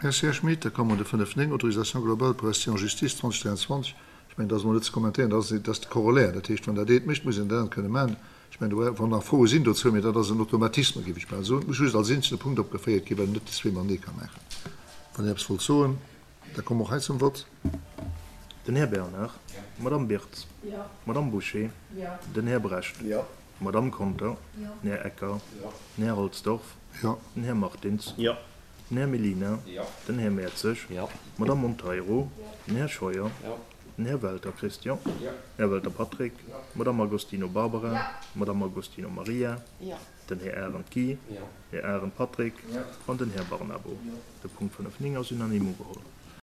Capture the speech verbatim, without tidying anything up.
Merci, Här Schmit. Da komme mer de fënnef néng, Autorisation globale pour rester en justice zwanzeg dräianzwanzeg. Ech mengen, dat ass emol net ze kommentéieren, dat ass, dat ass de Corollaire. Dat heescht, wann dat eent mécht, muss een dat anert kënne maachen. Ech mengen, do, wann nach Froe sinn dozou, mee dat ass en Automatisme, géif ech bal soen. Et muss just als eenzelne Punkt opgeféiert ginn, well een net déi zwee matenee ka maachen. Wann Dir eppes wollt soen, da komme mer och hei zum Vott. Den Här Bernard. D'Madame Birtz. D'Madame Bouché. Den Här Brecht. D'Madame Conter. Den Här Ecker. Den Här Halsdorf. Den Här Martins. Den Här Mellina. Den Här Mertzig. D'Madame Monteiro. Den Här Scheuer. Den Här Welter Christian. Här Welter Patrick. D'Madame Agostino Barbara. D'Madame Agostino Maria. Den Här Arendt Guy. Här Arendt Patrick an den Här Barnabo. De Punkt fënnef néng ass unanime ugeholl.